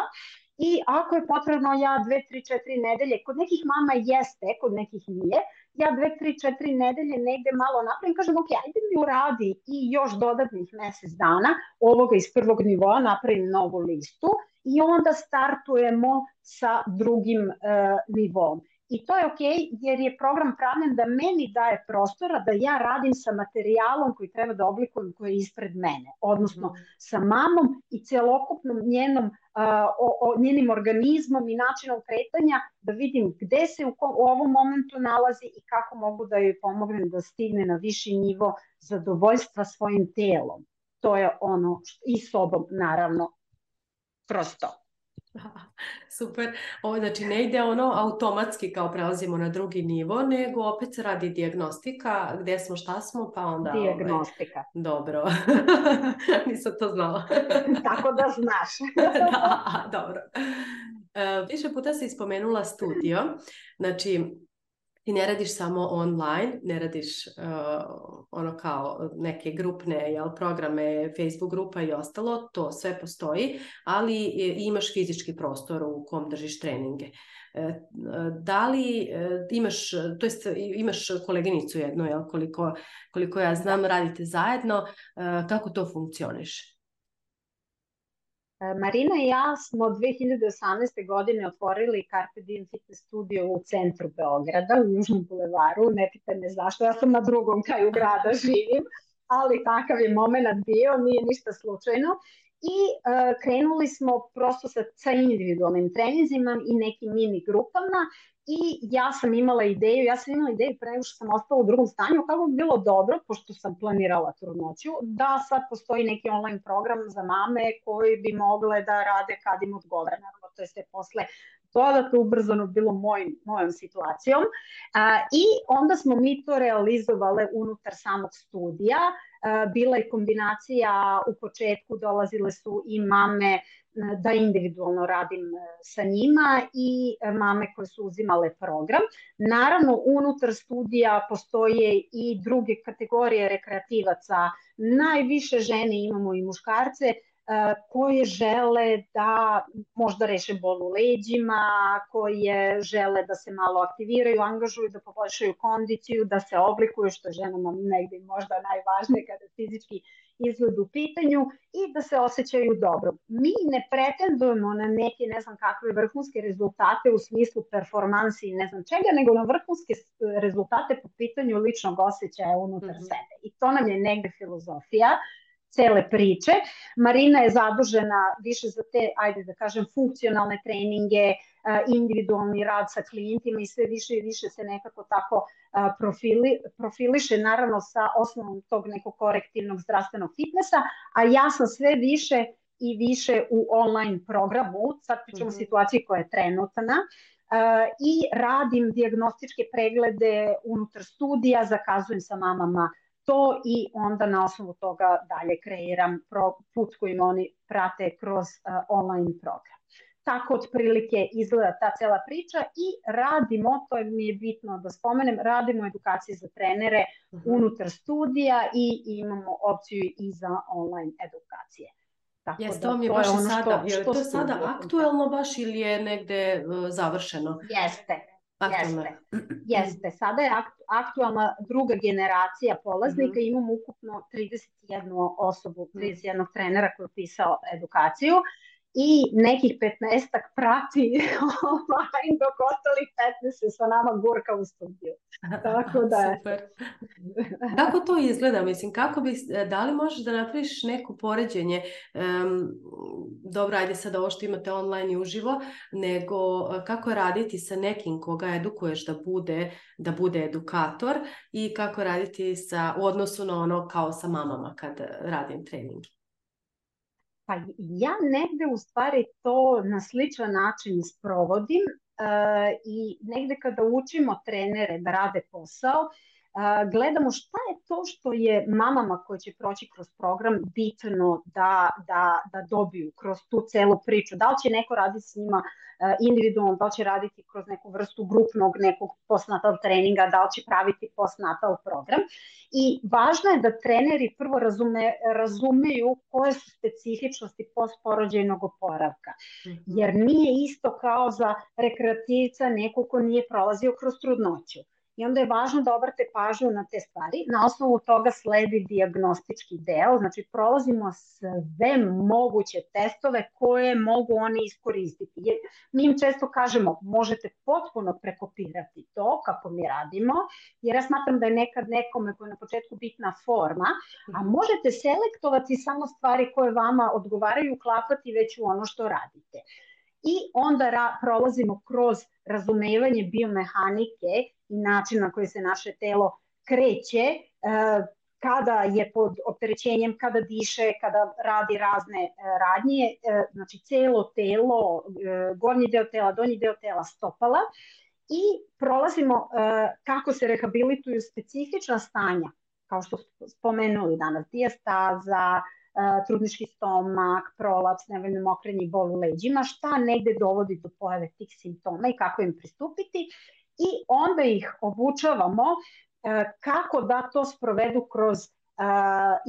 I ako je potrebno, ja dve, tri, četiri nedelje, kod nekih mama jeste, kod nekih nije, ja dve, tri, četiri nedelje negde malo napravim, kažem, ok, ajde mi uradi i još dodatnih mesec dana ovoga iz prvog nivoa, napravim novu listu i onda startujemo sa drugim uh, nivom. I to je ok, jer je program pravljen da meni daje prostora da ja radim sa materijalom koji treba da oblikujem, koji je ispred mene, odnosno mm. sa mamom i celokupnom njenom, uh, o, o, njenim organizmom i načinom kretanja, da vidim gde se u, u ovom momentu nalazi i kako mogu da joj pomognem da stigne na viši nivo zadovoljstva svojim telom. To je ono, što, i sobom naravno, kroz to. Super, ovo znači ne ide ono automatski kao prelazimo na drugi nivo, nego opet se radi dijagnostika, gdje smo, šta smo, pa onda... Dijagnostika. Ovaj, dobro, nisam to znala. Tako da znaš. Da, dobro. Uh, više puta si spomenula studio, znači ti ne radiš samo online, ne radiš uh, ono kao neke grupne jel, programe, Facebook grupa i ostalo, to sve postoji, ali imaš fizički prostor u kom držiš treninge. Da li imaš, to jest imaš koleginicu jednu, jel, koliko, koliko ja znam, radite zajedno, kako to funkcioniše? Marina i ja smo dve hiljade osamnaeste. godine otvorili Carpe Diem Fitness studio u centru Beograda, u Južnom bulevaru. Ne pitaj me zašto, ja sam na drugom kraju grada živim, ali takav je moment bio, nije ništa slučajno. I uh, krenuli smo prosto sa, sa individualnim treninzima i nekim mini grupama. I ja sam imala ideju, ja sam imala ideju pre nego što sam ostala u drugom stanju, kako bi bilo dobro, pošto sam planirala trudnoću, da sad postoji neki online program za mame koji bi mogle da rade kad im odgovara. Naravno, to je sve posle dodatno ubrzano bilo moj, mojom situacijom. A, I onda smo mi to realizovale unutar samog studija. A, bila je kombinacija, u početku dolazile su i mame da individualno radim sa njima i mame koje su uzimale program. Naravno, unutar studija postoje i druge kategorije rekreativaca. Najviše žene imamo i muškarce koje žele da možda reše bol u leđima, koje žele da se malo aktiviraju, angažuju, da poboljšaju kondiciju, da se oblikuju, što je ženama negde možda najvažnije kada fizički izgled u pitanju i da se osjećaju dobro. Mi ne pretendujemo na neke ne znam kakve vrhunske rezultate u smislu performansi i ne znam čega, nego na vrhunske rezultate po pitanju ličnog osjećaja unutar mm-hmm. sebe. I to nam je negde filozofija cele priče. Marina je zadužena više za te, ajde da kažem, funkcionalne treninge, individualni rad sa klijentima i sve više i više se nekako tako profili, profiliše, naravno sa osnovom tog nekog korektivnog zdravstvenog fitnessa, a ja sam sve više i više u online programu, sad pričamo mm-hmm. o situaciji koja je trenutna, i radim dijagnostičke preglede unutar studija, zakazujem sa mamama to i onda na osnovu toga dalje kreiram put kojim oni prate kroz uh, online program. Tako otprilike izgleda ta cela priča i radimo, to mi je bitno da spomenem, radimo edukacije za trenere uh-huh. unutar studija i imamo opciju i za online edukacije. Tako Jes, da to mi je to baš je i ono sada, što, je li što to sada studija konkretno. aktuelno baš ili je negde uh, završeno? Jeste, Aktuelno jeste, je. jeste. Sada je akt, aktualna druga generacija polaznika, Mhm. imamo ukupno trideset jednu osobu, trideset jednog trenera koji je pisao edukaciju i nekih petnaestak prati online, dok ostalih petnaest se sa nama gurka u studiju. Tako da je. Super. Kako to izgleda? Mislim, kako bi, da li možeš da napraviš neko poređenje, um, dobro, ajde sad ovo što imate online i uživo, nego kako raditi sa nekim koga edukuješ da bude, da bude edukator i kako raditi sa, u odnosu na ono kao sa mamama kad radim trening? Pa ja negde u stvari to na sličan način sprovodim uh, i negde kada učimo trenere da rade posao, uh, gledamo šta je to što je mamama koje će proći kroz program bitno da, da, da dobiju kroz tu celu priču. Da li će neko raditi s njima uh, individualno, da li će raditi kroz neku vrstu grupnog nekog postnatal treninga, da li će praviti postnatal program. I važno je da treneri prvo razume, razumeju koje su specifičnosti postporođajnog oporavka. Jer nije isto kao za rekreativca neko ko nije prolazio kroz trudnoću. I onda je važno da obrate pažnju na te stvari. Na osnovu toga sledi dijagnostički deo, znači prolazimo sve moguće testove koje mogu oni iskoristiti. Jer mi im često kažemo, možete potpuno prekopirati to kako mi radimo, jer ja smatram da je nekad nekome koji je na početku bitna forma, a možete selektovati samo stvari koje vama odgovaraju, uklapati već u ono što radite. I onda ra- prolazimo kroz razumevanje biomehanike i način na koji se naše telo kreće, e, kada je pod opterećenjem, kada diše, kada radi razne e, radnje, e, znači celo telo, e, gornji deo tela, donji deo tela, stopala, i prolazimo e, kako se rehabilituju specifična stanja, kao što smo spomenuli danas, dijastaza, trudnički stomak, prolaps, nevoljno mokrenje i bol u leđima, šta negde dovodi do pojave tih simptoma i kako im pristupiti, i onda ih obučavamo kako da to sprovedu kroz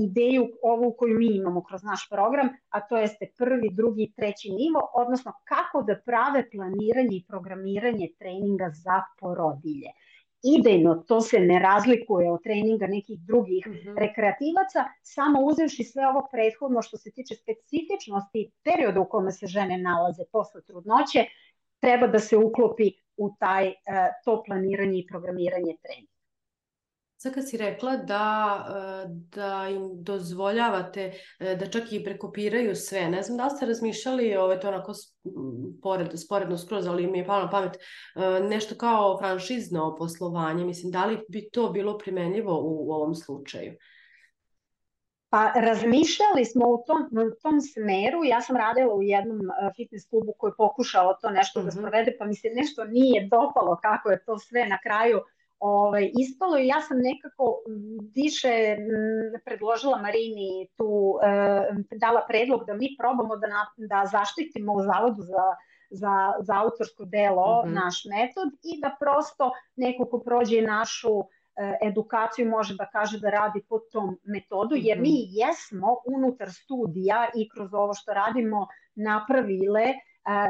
ideju ovu koju mi imamo kroz naš program, a to jeste prvi, drugi i treći nivo, odnosno kako da prave planiranje i programiranje treninga za porodilje. Idejno, to se ne razlikuje od treninga nekih drugih mm-hmm. rekreativaca, samo uzevši sve ovo prethodno što se tiče specifičnosti perioda u kome se žene nalaze posle trudnoće, treba da se uklopi u taj, to planiranje i programiranje treninga. Sad kad si rekla da, da im dozvoljavate da čak i prekopiraju sve, ne znam da li ste razmišljali, ovo je to onako spored, sporedno skroz, ali mi je palo na pamet, nešto kao franšizno poslovanje, mislim, da li bi to bilo primenljivo u, u ovom slučaju? Pa razmišljali smo u tom, u tom smeru, ja sam radila u jednom fitness klubu koji je pokušao to nešto uh-huh. da sprovede, pa mi se nešto nije dopalo kako je to sve na kraju Ovaj, ispalo, i ja sam nekako više m, predložila Marini tu, e, dala predlog da mi probamo da, na, da zaštitimo u Zavodu za, za, za autorsko delo mm-hmm. naš metod i da prosto neko ko prođe našu e, edukaciju može da kaže da radi po tom metodu, jer mm-hmm. mi jesmo unutar studija i kroz ovo što radimo napravile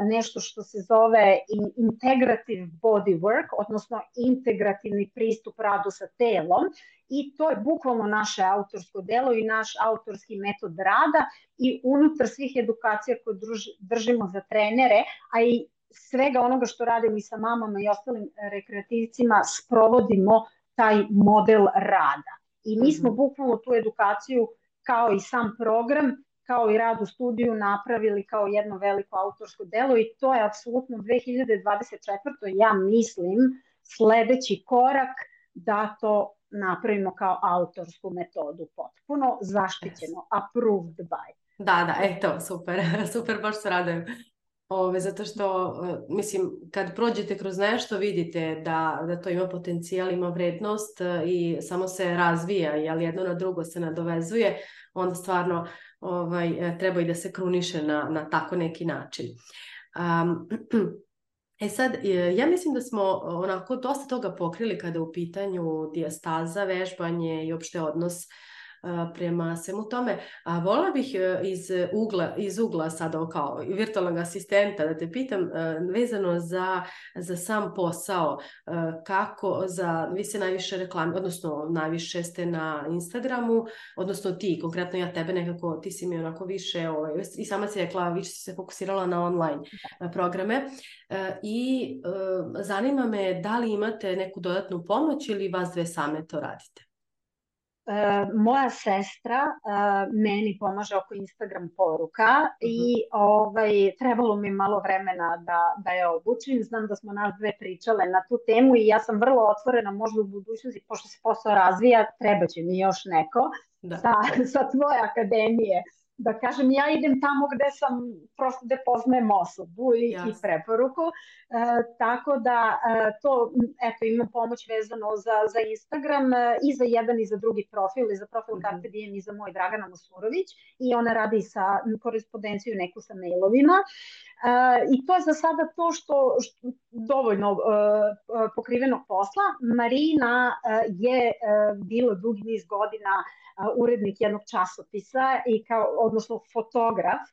nešto što se zove integrative body work, odnosno integrativni pristup radu sa telom, i to je bukvalno naše autorsko delo i naš autorski metod rada, i unutar svih edukacija koje držimo za trenere, a i svega onoga što radimo i sa mamama i ostalim rekreativcima, sprovodimo taj model rada. I mi smo bukvalno tu edukaciju, kao i sam program, kao i rad u studiju, napravili kao jedno veliko autorsko delo, i to je apsolutno dve hiljade dvadeset četvrtoj. ja mislim sledeći korak da to napravimo kao autorsku metodu, potpuno zaštićeno, approved by. Da, da, eto, super, super, baš se radujem. Ove, zato što, mislim, kad prođete kroz nešto, vidite da, da to ima potencijal, ima vrednost i samo se razvija, jel jedno na drugo se nadovezuje, onda stvarno ovaj, treba i da se kruniše na, na tako neki način. Um, e sad, ja mislim da smo onako dosta toga pokrili kada je u pitanju dijastaza, vežbanje i opšte odnos prema svemu tome. A voljela bih iz ugla, iz ugla sada kao virtualnog asistenta da te pitam vezano za, za sam posao, kako za, vi se najviše reklami, odnosno najviše ste na Instagramu, odnosno ti, konkretno ja tebe nekako, ti si mi onako više, ovaj, i sama si rekla, više si se fokusirala na online programe i zanima me da li imate neku dodatnu pomoć ili vas dve same to radite? Uh, moja sestra uh, meni pomaže oko Instagram poruka uh-huh. i ovaj, trebalo mi malo vremena da, da je obučim. Znam da smo nas dve pričale na tu temu i ja sam vrlo otvorena, možda u budućnosti, pošto se posao razvija, treba će mi još neko sa, sa tvoje akademije. Da kažem, ja idem tamo gde sam, prosto gde poznajem osobu i, i preporuku. E, tako da e, to, eto, imam pomoć vezano za, za Instagram e, i za jedan i za drugi profil, i za profil mm-hmm. Carpe Diem i za moj Dragana Masurović. I ona radi sa korespondenciju neku sa mailovima. E, I to je za sada to što, što dovoljno e, pokrivenog posla. Marina e, je e, bila dugi niz godina urednik jednog časopisa i kao, odnosno fotograf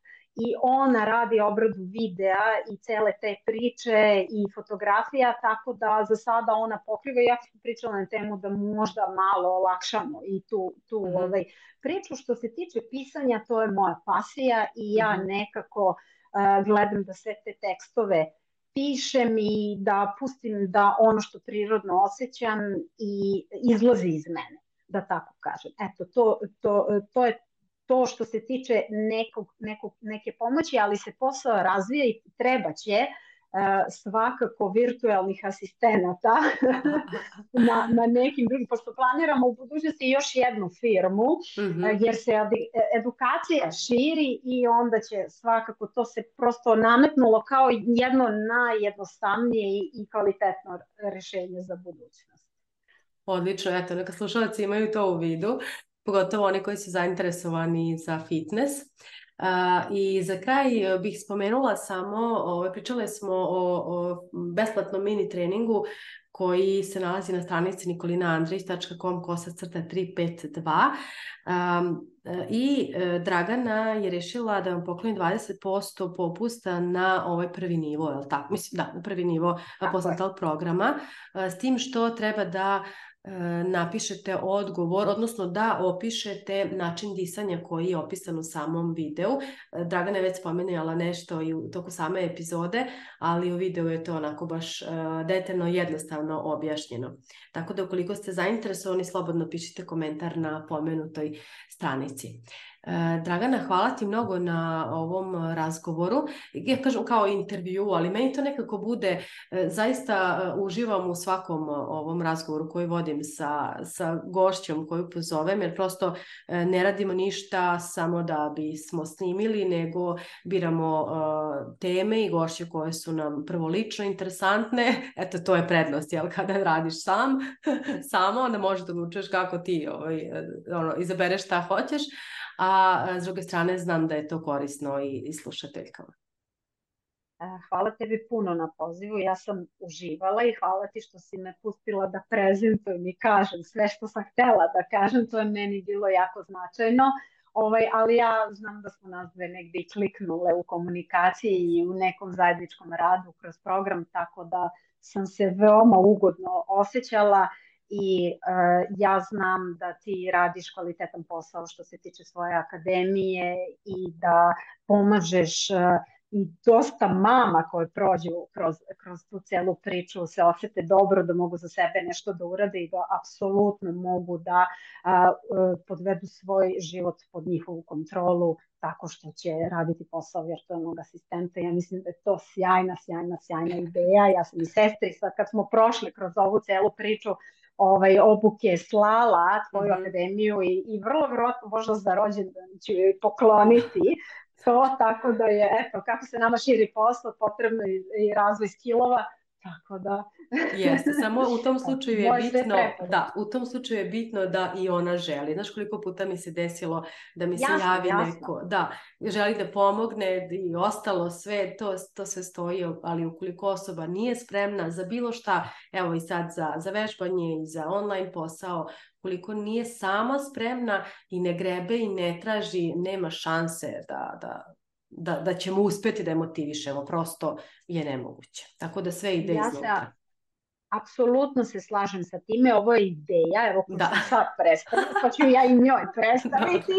i ona radi obradu videa i cele te priče i fotografija, tako da za sada ona pokriva. Ja sam pričala na temu da možda malo olakšamo i tu, tu mm-hmm. ovaj, priču. Što se tiče pisanja, to je moja pasija i ja mm-hmm. nekako uh, gledam da sve te tekstove pišem i da pustim da ono što prirodno osjećam i izlazi iz mene, da tako kažem. Eto, to, to, to je to što se tiče nekog, nekog, neke pomoći, ali se posao razvija i treba će uh, svakako virtualnih asistenata na, na nekim drugim, pošto planiramo u budućnosti još jednu firmu, mm-hmm. uh, jer se edukacija širi i onda će svakako to se prosto nametnulo kao jedno najjednostavnije i, i kvalitetno rešenje za budućnost. Odlično, eto, neka slušalci imaju to u vidu, pogotovo oni koji su zainteresovani za fitness. Uh, I za kraj bih spomenula samo, o, pričale smo o, o besplatnom mini treningu koji se nalazi na stranici nikolina andrić tačka com kosacrta tri pet dva um, i uh, Dragana je rešila da vam pokloni dvadeset posto popusta na ovaj prvi nivo, je li tako? Mislim, da, na prvi nivo postnatal programa, uh, s tim što treba da napišete odgovor, odnosno da opišete način disanja koji je opisan u samom videu. Dragana je već spomenula nešto i u toku same epizode, ali u videu je to onako baš detaljno i jednostavno objašnjeno. Tako da ukoliko ste zainteresovani, slobodno pišite komentar na pomenutoj stranici. Dragana, hvala ti mnogo na ovom razgovoru. Ja kažem kao intervju, ali meni to nekako bude, zaista uživam u svakom ovom razgovoru koji vodim sa, sa gošćom koju pozovem, jer prosto ne radimo ništa samo da bismo snimili, nego biramo uh, teme i gošće koje su nam prvo lično interesantne. Eto, to je prednost, jel, kada radiš sam, samo, onda možeš da odlučuješ kako ti ovaj, ono, izabereš šta hoćeš. A s druge strane znam da je to korisno i, i slušateljkama. Hvala tebi puno na pozivu, ja sam uživala i hvala ti što si me pustila da prezentujem i kažem sve što sam htjela da kažem, to je meni bilo jako značajno, ovaj, ali ja znam da smo nas dve negdje i kliknule u komunikaciji i u nekom zajedničkom radu kroz program, tako da sam se veoma ugodno osjećala. I uh, ja znam da ti radiš kvalitetan posao što se tiče svoje akademije i da pomažeš uh, i dosta mama koje prođu kroz, kroz tu celu priču se osjete dobro, da mogu za sebe nešto da urade i da apsolutno mogu da uh, podvedu svoj život pod njihovu kontrolu tako što će raditi posao virtualnog asistenta. Ja mislim da je to sjajna, sjajna, sjajna ideja. Ja sam i sestri, sad kad smo prošli kroz ovu celu priču, ovaj, obuke slala tvoju mm-hmm. akademiju i, i vrlo vjerojatno možda za rođendan ću joj pokloniti to, tako da je, eto, kako se nama širi posao, potrebno i, i razvoj skillova, tako da... Jeste, samo u tom slučaju je bitno, da, u tom slučaju je bitno da i ona želi. Znaš koliko puta mi se desilo da mi se jasno, javi jasno. neko, da, želi da pomogne i ostalo sve, to, to sve stoji, ali ukoliko osoba nije spremna za bilo šta, evo i sad za, za vežbanje i za online posao, ukoliko nije sama spremna i ne grebe i ne traži, nema šanse da, da, da, da ćemo uspjeti da je motivišemo. Prosto je nemoguće. Tako da sve ide Ja iznutra. se apsolutno se slažem sa time, ovo je ideja, evo ko Da. sam sad predstavila, pa ću ja i njoj predstaviti,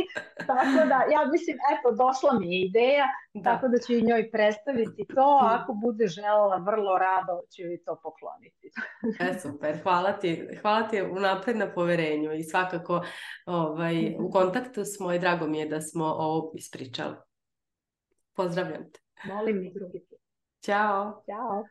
tako da ja mislim, eto, došla mi je ideja, Da. tako da ću i njoj predstaviti to, ako bude želela, vrlo rado ću i to pokloniti. E, super, hvala ti, hvala ti unapred na poverenju i svakako ovaj, u kontaktu smo i drago mi je da smo ovo ispričali. Pozdravljam te. Molim mi drugi put. Ćao. Ćao.